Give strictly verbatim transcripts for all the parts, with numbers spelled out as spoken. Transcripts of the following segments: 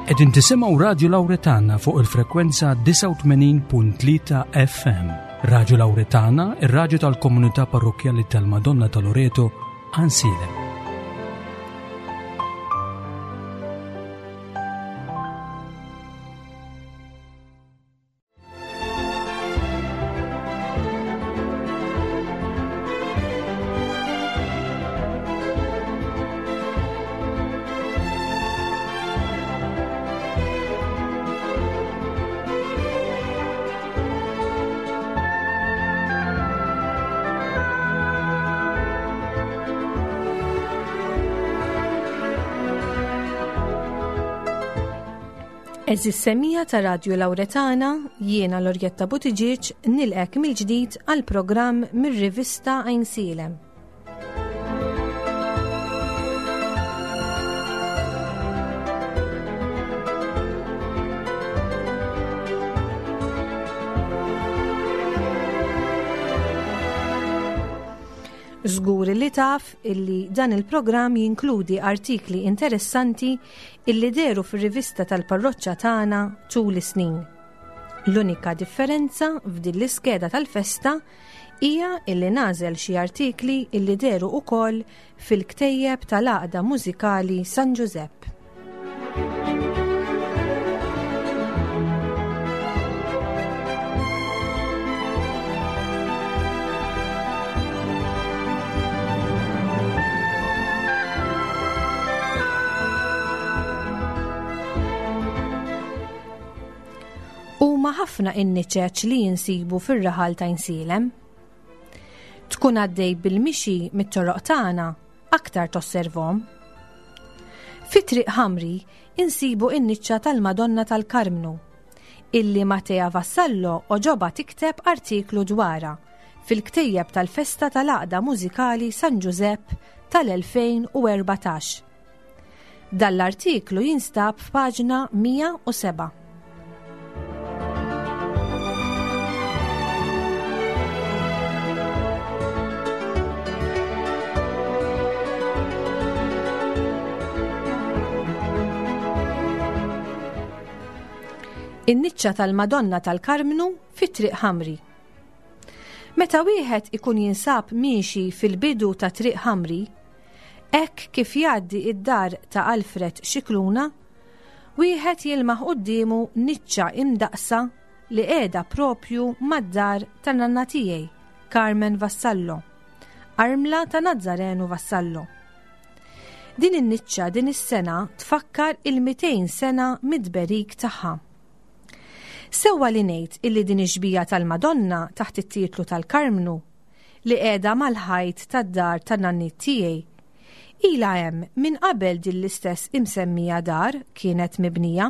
Qegħdin tisimgħu Radio Lauretana fuq il-frekwenza disgħa u tmenin punt tlieta F M. Radio Lauretana, ir-radju tal-komunità parrokkjali tal-Madonna ta' Loreto, Għajnsielem. Għeżież semmiegħa ta' Radio Lauretana, jiena Lorjetta Buttigieg nilqgħek mill-ġdid għal programm mir-rivista Għajnsielem. Żgur li taf illi dan il-programm jinkludi artikli interessanti illi dehru fir-rivista tal-parroċċa tagħna tul is-snin. L-unika differenza f'din l-iskeda tal-festa hija illi nagħżel xi artikli illi dehru ukoll fil-ktejjeb tal-Għaqda Mużikali San Giuseppe. Huma ħafna in-niċeċ li jinsibu fir-raħal ta' Għajnsielem. Tkun għaddej bil-mixi mit-toroq tagħna aktar tosservhom. Fi Triq Ħamri insibu in-niċċa tal-Madonna tal-Karmnu, illi Matea Vassallo għoġobha tikteb artiklu dwarha fil-ktejjeb tal-festa tal-Għaqda Mużikali San Giuseppe tal-elfejn u erbatax. Dan l-artiklu jinstab f'paġna mija u sebgħa. In-niċċa tal-Madonna tal-Karmnu fi Triq Ħamri. Meta wieħed ikun jinsab miexi fil-bidu ta' Triq Ħamri, hekk kif jgħaddi id-dar ta' Alfred Xikluna, wieħed jilmaħ quddiemu niċċa imdaqsa li qiegħda propju mad-dar ta' nanna tiegħi, Carmen Vassallo, armla ta' Nazzarenu Vassallo. Din in-niċċa din is-sena tfakkar il-mitejn sena mid-tberik tagħha. Sewwa li ngħid illi din ix-xbieha tal-Madonna taħt it-titlu tal-Karmnu li qiegħda mal-ħajt tad-dar tan-nanniet tiegħi ilha hemm minn qabel din l-istess imsemmija dar kienet mibnija.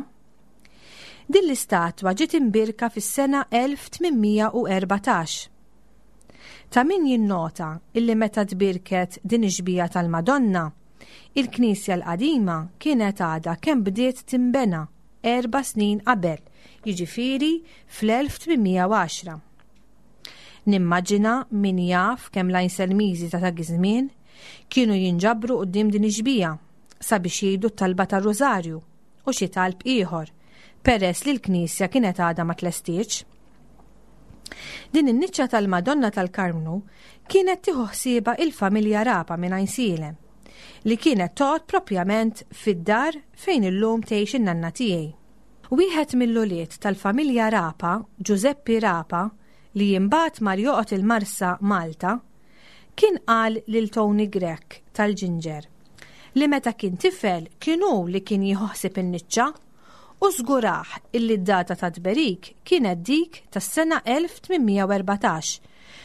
Din l-istatwa ġiet imbierka fis-sena elf tmien mija u erbatax. Ta' min jinnota illi meta tbierket din ix-xbieha tal-Madonna, il-Knisja l-qadima kienet għadha kemm bdiet timbena erba' snin qabel, jiġifieri fl-elf tmien mija u għaxra. Nimmaġina min jaf kemm l-Għajnselmiżi ta' dak iż-żmien kienu jinġabru quddiem din ix-xbieha sabiex jgħidu t-talba tar-Rużarju u xi talb ieħor, peress li l-Knisja kienet għadha ma tlestiex. Din in-niċċa tal-Madonna tal-Karmnu kienet tieħu ħsiebha il-familja Rapa minn Għajnsielem, li kienet toqgħod propjament fid-dar fejn illum tgħix in-nanna tiegħi. Wieħed mill-ulied tal-familja Rapa, Giuseppe Rapa, li imbagħad mar joqgħod il-Marsa Malta, kien qal lil Tony Grech tal-Ġinġer li meta kien tifel kien hu li kien jieħu ħsieb in-niċċa u żgurah illi d-data ta' tberik kienet dik tas-sena elf tmien mija u erbatax,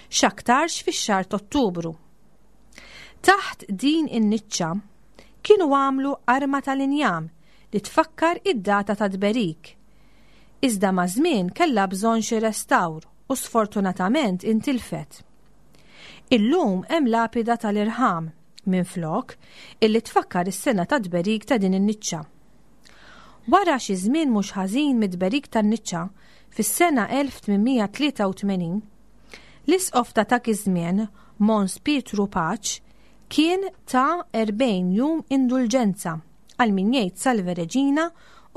x'aktarx fix-xahar t'Ottubru. Taħt din in-niċċa kienu għamlu arma tal-injam li tfakkar id-data ta' tberik. Iżda ma' żmien kellha bżonn xi restawr u sfortunatament intilfet. Illum hemm lapida tal-irħam minn flok illi tfakkar is-sena ta' tberik ta' din in-niċċa. Wara xi żmien mhux ħażin mid-tberik tan-niċċa fis-sena elf tmien mija tlieta u tmenin, l-isqof ta' dak iż-żmien, Mons Pietru Pace, kien ta erbgħin jum indulġenza għal min jgħid Salve Regina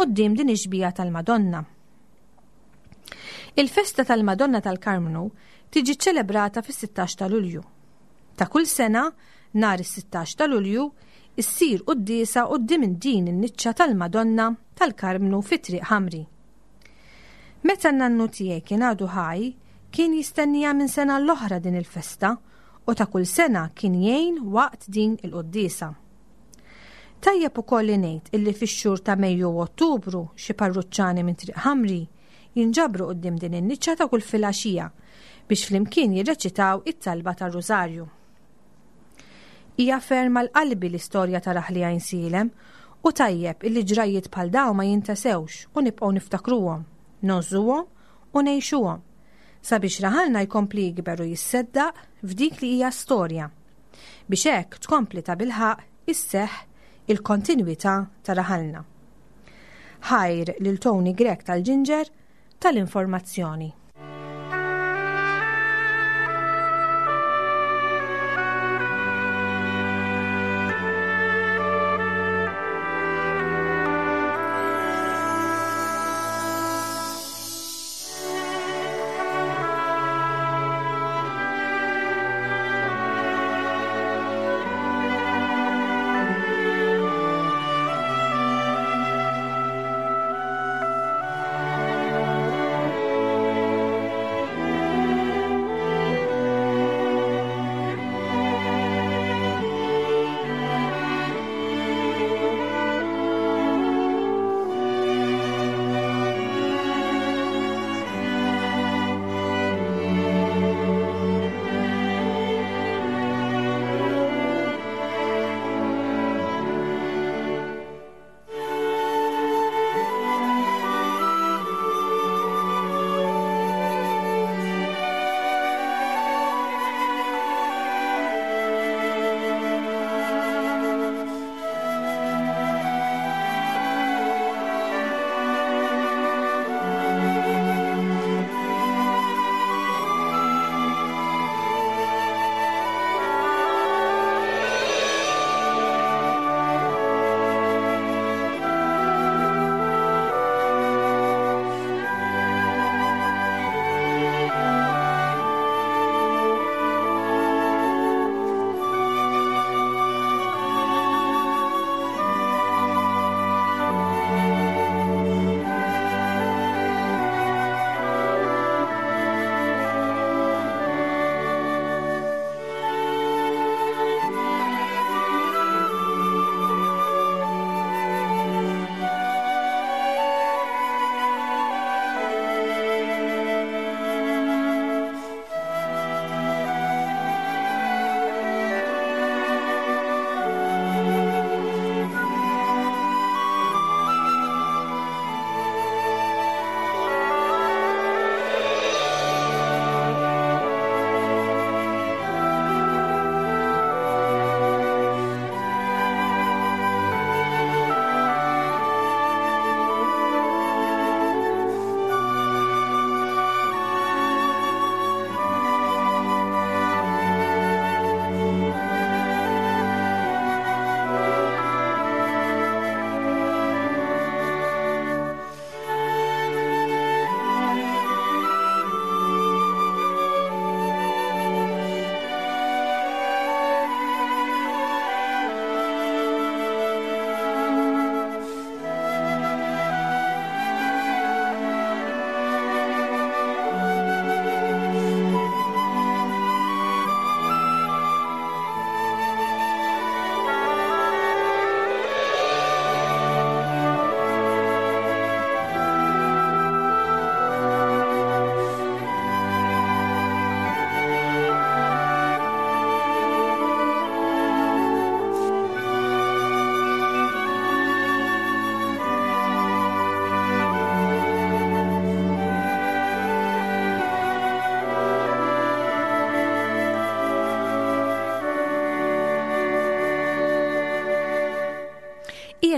quddiem din ix-xbieha tal-Madonna. Il-festa tal-Madonna tal-Karmnu tiġi ċelebrata fis-sittax ta' Lulju. Ta' kull sena, nhar is-sittax ta' Lulju, issir quddiesa quddiem din in-niċċa tal-Madonna tal-Karmnu fi Triq Ħamri. Meta n-nannu tiegħi kien għadu ħaj, kien jistennija minn sena l-oħra din il-festa u ta' kull sena kien jgħin waqt din il-quddiesa. Tajjeb ukoll li ngħid illi fix-xhur ta' Mejju u Ottubru xi parruċċani minn Triq Ħamri jinġabru quddiem din in-niċċa ta' kull filgħaxija biex flimkien jirreċitaw it-talba tar-Rużarju. Hija ferm għal qalbi l-istorja ta' raħli Għajnsielem u tajjeb illi ġrajiet bħal dawn ma jintasewx u nibqgħu niftakruhom, ngħożżuhom u ngħixuhom sabiex raħalna jkompli jikber u jisseddaq f'dik li hija storja biex hekk tkompli ta' bilħaq isseħħ il-kontinwità ta' raħalna. Ħajr lil Tony Grech tal-Ġinġer tal-informazzjoni.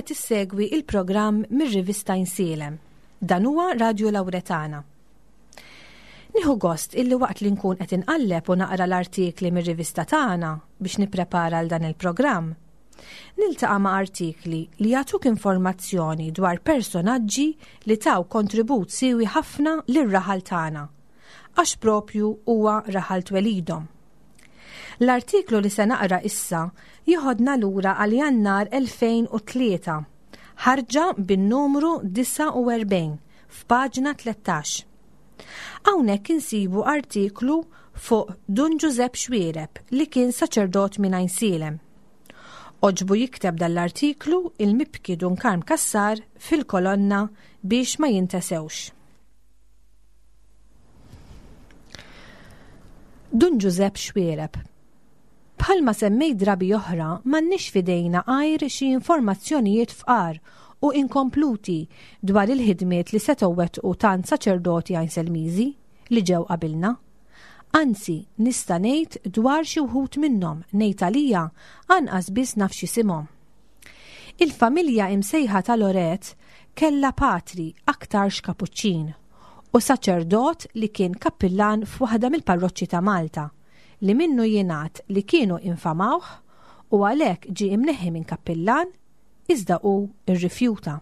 Qiegħed issegwi il-programm mir-rivista Għajnsielem. Dan huwa Radio Lauretana. Nieħu gost illi waqt li nkun qed inqalleb u naqra l-artikli mir-rivista tagħna biex nipprepara għal dan il-programm, niltaqa' ma' artikli li jagħtuk informazzjoni dwar personaġġi li taw kontribut siewi ħafna lir-raħal tagħna, għax propju huwa raħal twelidhom. L-artiklu li se naqra issa jieħodna lura għal Jannar elfejn u tlieta, ħarġa bin-numru disgħa u erbgħin f'paġna tlettax. Hawnhekk insibu artiklu fuq Dun Ġużepp Xuereb li kien saċerdot minn Għajnsielem. Oġbu jikteb dal-artiklu il-mibki Dun Karm Cassar fil-kolonna biex ma jintesewx. Dun Ġużepp Xuereb. Bħalma semmej drabi oħra, m'għandniex fidejna għajr xi informazzjonijiet fqar u inkompluti dwar il-ħidmiet li setgħu wettqu tant saċerdoti Għajnselmiżi li ġew qabilna. Anzi, nista' ngħid dwar xi wħud minnhom, ngħid għalija anqas biss naf x'isimhom. Il-familja imsejħa ta' Loret kellha patri aktarx kapuċċin u saċerdot li kien kappillan f'waħda mill-parroċċi ta' Malta, li minnu jingħad li kienu infamawh u għalhekk ġie imneħħi minn kappillan, iżda hu rrifjuta.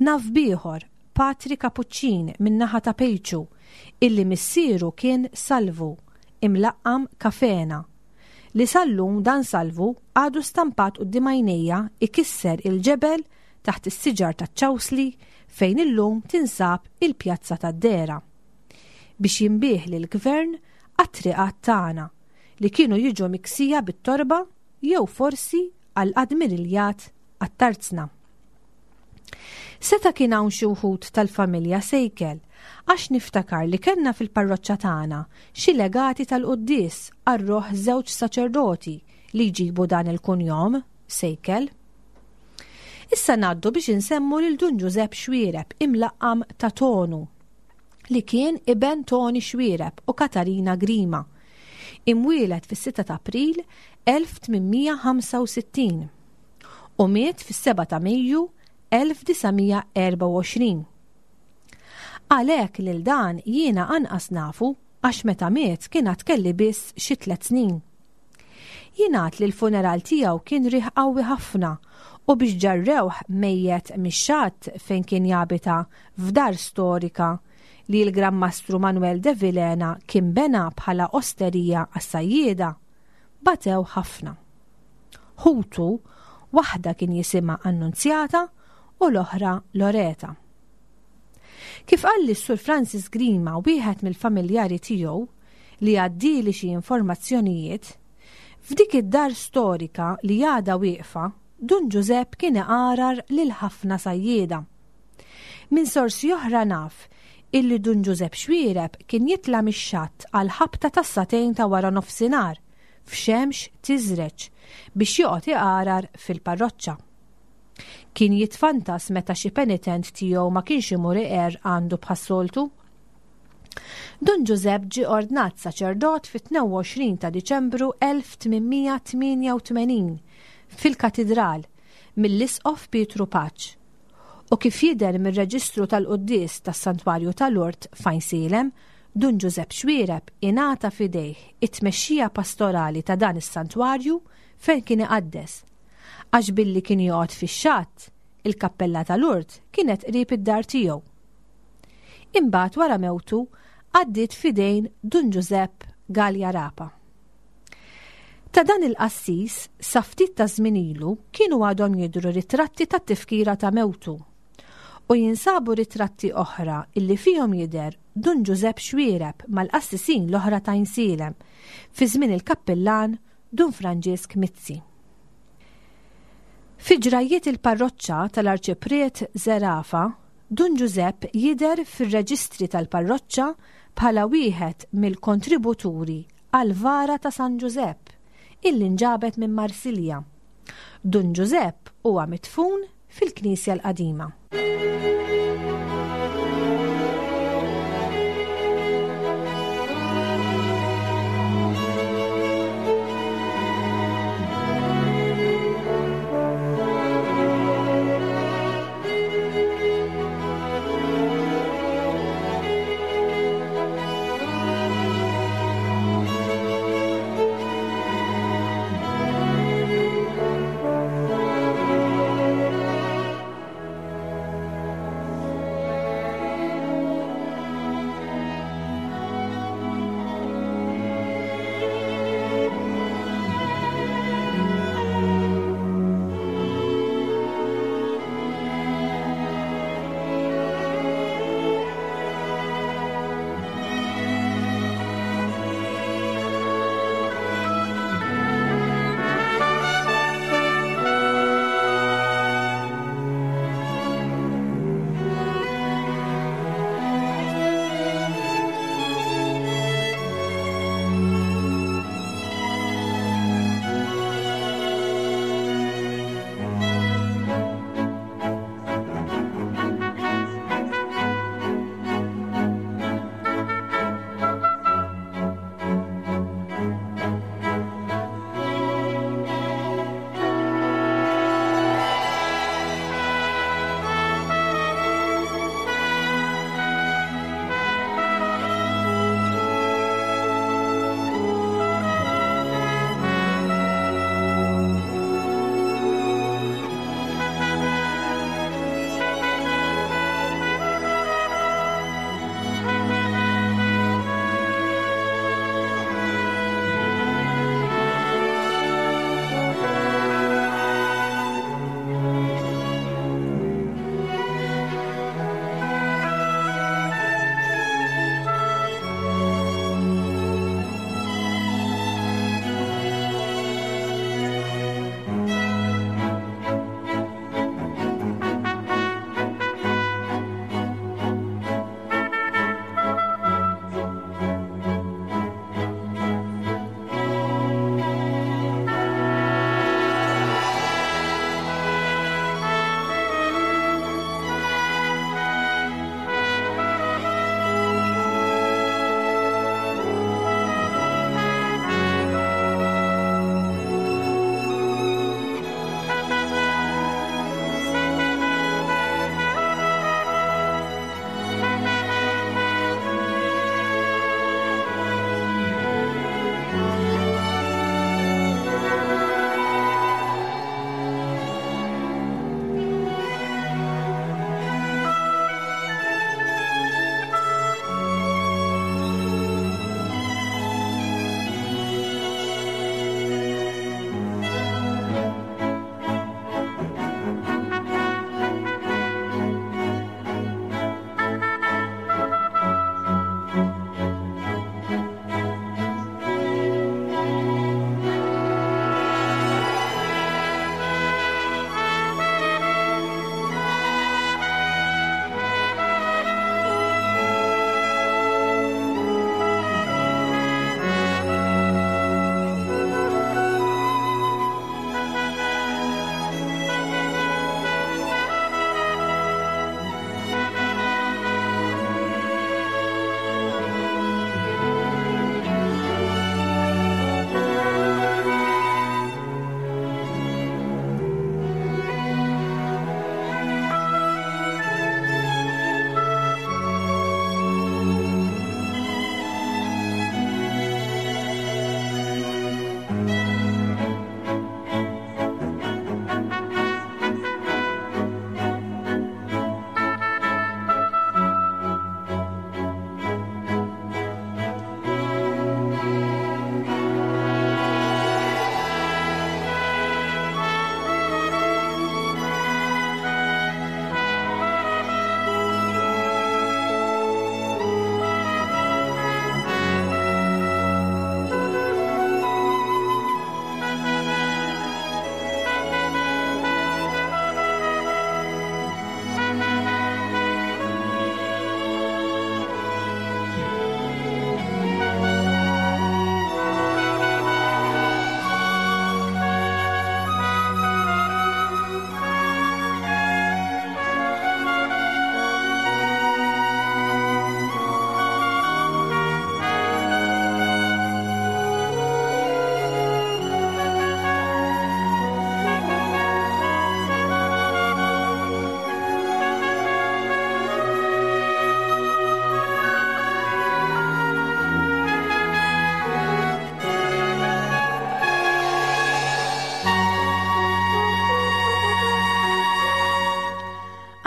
Naf bieħor, patri kapuċċin min-naħa ta' Pejċu, illi missieru kien Salvu, imlaqqam Kafena, li sallum dan Salvu għadu stampat quddiem għajnejja ikisser il-ġebel taħt is-siġar taċ-ċawsli fejn illum tinsab il-pjazza tad-Dera, biex jinbih lill-gvern għat-triqat tagħna li kienu jiġu miksija bit-torba jew forsi għall-admiriljat għat-tarzna. Seta kien hawn xi wħud tal-familja Sejkel, għax niftakar li kellna fil-parroċċa tagħna xi legati tal-quddies għar-ruħ żewġ saċerdoti li jġibu dan il-kunjom Sejkel. Issa ngħaddu biex insemmu lil Dun Ġużepp Xuereb imlaqqam ta' Tonu, li kien iben Toni Xuereb u Katarina Grima, imwielet fis-sitta ta' April elf tmien mija ħamsa u sittin u miet fis-seba' ta' Mejju elf disa' mija erba' u għoxrin. Għalhekk lil dan jiena anqas nafu għax meta miet kien għad kelli biss xi tliet snin. Jingħad li l-funeral tiegħu kien riħ qawwi ħafna u biex ġarrewh mejjet mix-xatt fejn kien jabita f'dar storika li l-Gran Mastru Manuel de Vilhena kien bena bħala osterija għas-sajjieda, batew ħafna. Ħutu, waħda kien jisimha Annunzjata u l-oħra Loreta. Kif qalli s-Sur Francis Grima, wieħed mill-familjari tiegħu, li għaddili xi informazzjonijiet, f'dik id-dar storika li għadha wieqfa, Dun Ġużepp kien iqarar lil ħafna sajjieda. Minn sorsi oħra naf illi Dun Ġużepp Xuereb kien jitla' mix-xatt għal ħabta tas-satejn ta' wara nofsinhar f'xemx tiżreġ biex joqgħod iqarar fil-parroċċa. Kien jitfantas meta xi penitent tiegħu ma kienx imur iqer għandu bħas-soltu. Dun Ġużepp ġie ordnat saċerdot fit-tnejn u għoxrin ta' Diċembru elf tmien mija tmienja u tmenin fil-Katidral mill-Isqof Pietru Paċ. U kif jidher mir-reġistru tal-quddies tas-Santwarju tal-Lourdes f'Għajnsielem, Dun Ġużepp Xuereb ingħata f'idejh it-tmexxija pastorali ta' dan is-santwarju fejn kien iqaddes, għax billi kien joqgħod fix-xatt, il-kappella tal-Lourdes kienet qrib id-dar tiegħu. Imbagħad wara mewtu għaddiet f'idejn Dun Ġużepp Galea Rapa. Ta' dan il-qassis sa ftit ta' żmien ilu kienu għadhom jidhru ritratti tat-tifkira ta' mewtu u jinsabu ritratti oħra illi fihom jidher Dun Ġużepp Xuereb mal-qassisin l-oħra ta' Għajnsielem fi żmien il-kappillan Dun Franġisk Mizzi. Fi ġrajiet il-parroċċa tal-Arċipriet Zerafa, Dun Ġużepp jidher fir-reġistri tal-parroċċa bħala wieħed mill-kontributuri għal-vara ta' San Ġużepp illi nġabet minn Marsilja. Dun Ġużepp huwa mitfun fil-Knisja l-Qadima.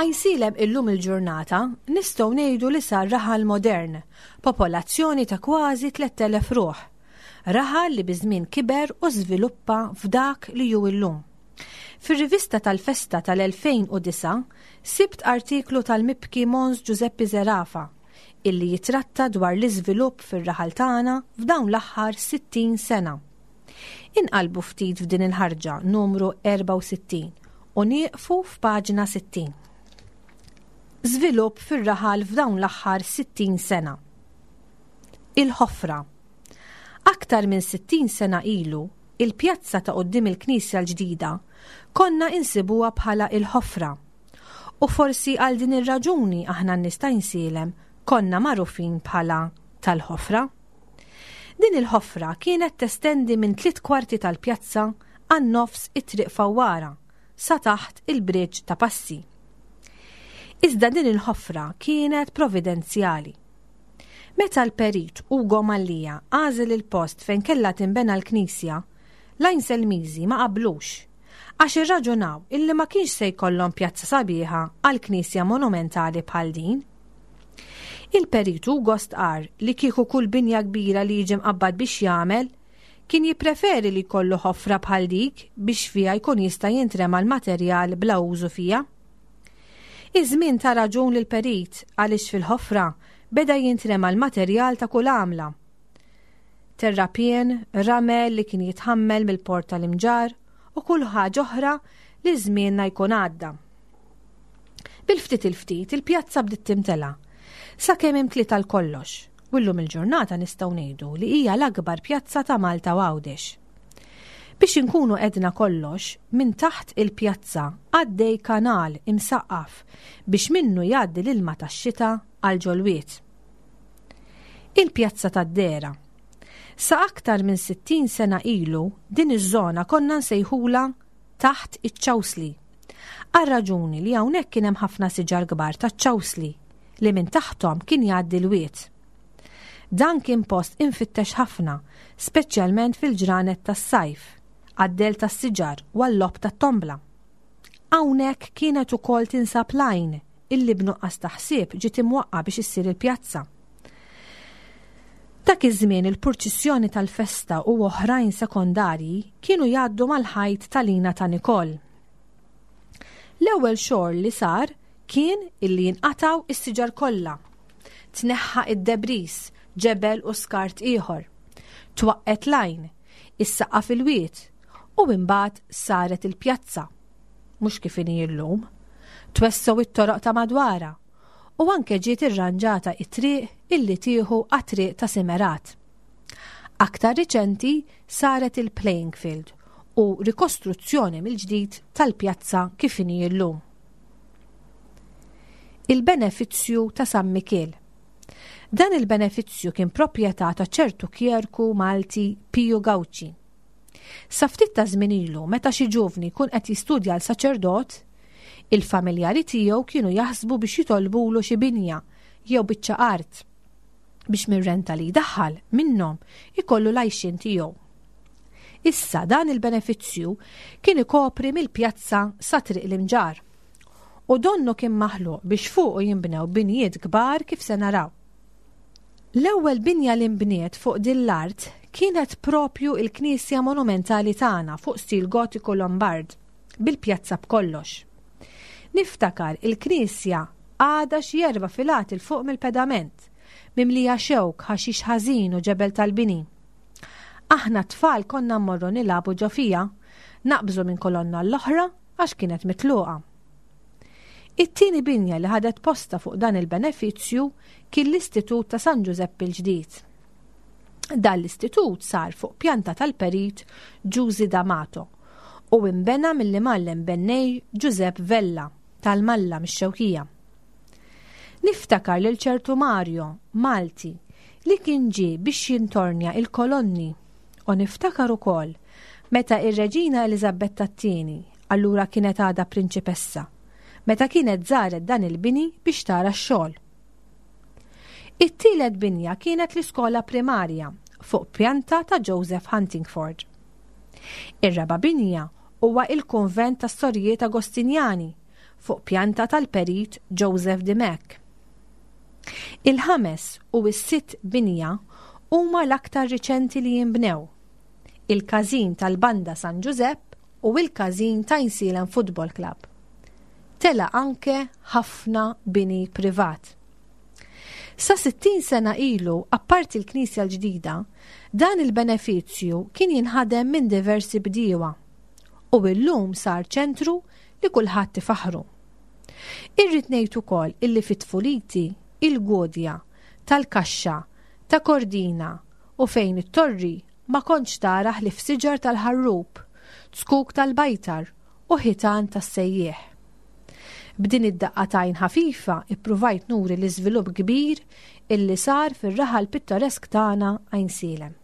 Għajnsielem illum il-ġurnata nistgħu ngħidu li sar raħal modern, popolazzjoni ta' kważi tlett elef ruħ. Raħal li biż-żmien kiber u żviluppa f'dak li hu illum. Fir-rivista tal-festa tal-elfejn u disgħa sibt artiklu tal-mibki Mons Giuseppe Zerafa illi jitratta dwar l-iżvilupp fir-raħal tagħna f'dawn l-aħħar sittin sena. Inqalbu ftit f'din il-ħarġa numru erbgħa u sittin u nieqfu f'paġna sittin. Żvilupp fir-raħal f'dawn l-aħħar sittin sena. Il-ħofra. Aktar minn sittin sena ilu, il-pjazza ta' quddiem il-Knisja l-ġdida konna insibuha bħala il-ħofra. U forsi għal din ir-raġuni aħna n-nies ta' Għajnsielem konna magħrufin bħala tal-ħofra. Din il-ħofra kienet testendi minn tliet kwarti tal-pjazza għan nofs it-triq Fawwara sa taħt il-bridge ta' Passi. Iżda din il-ħofra kienet providenzjali. Meta l-perit Ugo Mallia għażel il-post fejn kellha tinbena l-knisja, l-Għajnselmiżi ma qablux, għax irraġunaw illi ma kienx se jkollhom pjazza sabiħa għal knisja monumentali bħal din. Il-perit Ugo stqarr li kieku kull binja kbira li jiġi mqabbad biex jagħmel, kien jippreferi li jkollu ħofra bħal dik biex fiha jkun jista' jintrema l-materjal bla użu fiha. Iż-żmien ta' raġun lil perit għaliex fil-ħofra beda jintrema l-materjal ta' kull għamla. Terrapien, ramel li kien jitħammel mill-port tal-Imġarr u kull ħaġa oħra li żmienna jkun għadda. Bil-ftit il-ftit il-pjazza bdiet timtela, sakemm imtliet għal kollox, u llum il-ġurnata nistgħu ngħidu li hija l-akbar pjazza ta' Malta u Għawdex. Biex inkunu edna kollox, minn taħt il-pjazza għaddej kanal imsaqqaf biex minnu jgħaddi l-ilma tax-xita għal ġolwiet. Il-pjazza tad-Dera. Sa aktar minn sittin sena ilu din iż-żona konna nsejħula taħt iċ-ċawsli. Għal raġuni li hawnhekk kien hemm ħafna siġar kbar taċ-ċawsli li minn taħthom kien jgħaddi l-wied. Dan kien post infittex ħafna, speċjalment fil-ġranet tas-sajf, għad-del tas-siġar u għall-logħob tat-tombla. Hawnhekk kienet ukoll tinsab l-għajn illi b'nuqqas ta' ħsieb ġiet imwaqqa biex issir il-pjazza. Dak iż-żmien il-purċissjoni tal-festa u oħrajn sekondarji kienu jgħaddu mal-ħajt tal-Ina ta' Nikol. L-ewwel xogħol li sar kien illi jinqataw is-siġar kollha. Tneħħa id-debris, ġebel u skart ieħor. Twaqqet l-għajn, is-saqqa fil-wied u imbagħad saret il-pjazza. Mhux kif inhi llum. Twessew it-toroq ta' madwarha u anke ġiet irranġata it-triq illi tieħu għat-triq ta' Simerat. Aktar riċenti saret il-playing field u rikostruzzjoni mill-ġdid tal-pjazza kif inhi llum. Il-benefizzju ta' San Mikiel. Dan il-benefizzju kien proprjetà ta' ċertu kjerku Malti Piju Gauci. Sa ftit ta' żmien ilu, meta xi ġuvni jkun qed jistudja l saċerdot, il-familjari tiegħu kienu jaħsbu biex jitolbulu xi binja jew biċċa art biex mir-renta li jdaħħal minnhom ikollu l-għajxien tiegħu. Issa dan il-benefizzju kien ikopri mill-pjazza sa triq l-Imġarr u donnu kien maħluq biex fuqu jinbnew binjiet kbar kif se naraw. L-ewwel binja li nbniet fuq din l-art kienet propju il-Knisja Monumentali tagħna fuq stil gotiku Lombard, bil-pjazza b'kollox. Niftakar il-Knisja għadha xi erba' filati l fuq mill-pedament, mimlija xewk, ħaxix ħażin u ġebel tal-bini. Aħna tfal konna mmorru nilagħbu ġo fija, naqbżu minn kolonna l-oħra għax kienet mitluqa. It-tieni binja li ħadet posta fuq dan il-benefizzju kien l-Istitut ta' San Ġużeppi l-ġdid. Dan l-istitut sar fuq pjanta tal-perit Ġużi D'Amato u imbena mill-imgħallem bennej Ġużepp Vella tal-Malla mix-Xewkija. Niftakar lil ċertu Mario, Malti, li kien ġie biex jintornja il-kolonni u niftakar ukoll meta ir-Reġina Eliżabetta t-tieni, allura kienet għadha prinċipessa, meta kienet żaret dan il-bini biex tara x-xogħol. It-tielet binja kienet l-iskola primarja fuq pjanta ta' Joseph Huntingford. Ir-raba' binja huwa il-kunvent tas-Sorijiet Agostinjani fuq pjanta tal-perit Joseph Dimech. Il-ħames u s-sitt binja huma l-aktar riċenti li jinbnew. Il-każin tal-Banda San Giuseppe u il-każin ta' Għajnsielem Football Club. Tela anke ħafna bini privat. Sa sittin sena ilu, apparti l-Knisja l-ġdida, dan il-benefizzju kien jinħadem minn diversi bdiewa u illum sar ċentru li kulħadd ifaħru. Irrid ngħid ukoll illi fit-tfuliti il-Gudja, tal-Kaxxa, ta' Kordina u fejn it-torri ma kontx tara ħlief siġar tal-ħarrub, zkuk tal-bajtar u ħitan tas-sejjieħ. B'din id-daqqa t'għajn ħafifa ippruvajt nuri l-iżvilupp kbir illi sar fir-raħal pittoresk tagħna Għajnsielem.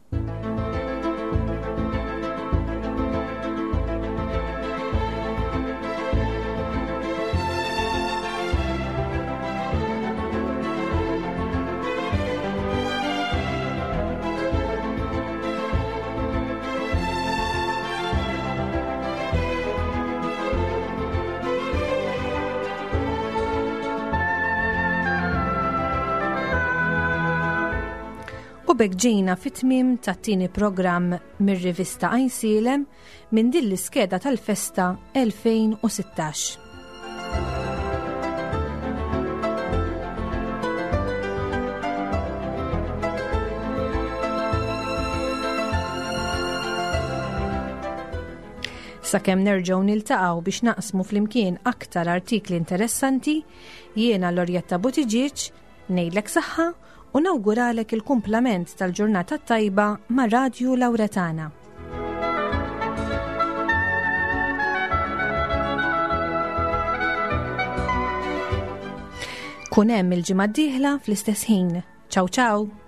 U b'hekk ġejna fit-tmiem tat-tieni programm mir-rivista Għajnsielem minn din l-iskeda tal-festa elfejn u sittax. Sakemm nerġgħu niltaqgħu biex naqsmu flimkien aktar artikli interessanti, jiena Lorjetta Buttigieg ngħidlek saħħa u nawguralek il-kumplament tal-ġurnata tajba ma' Radju Lauretana. Kun hemm il-ġimgħa d-dieħla fl-istess ħin. Ciao ciao!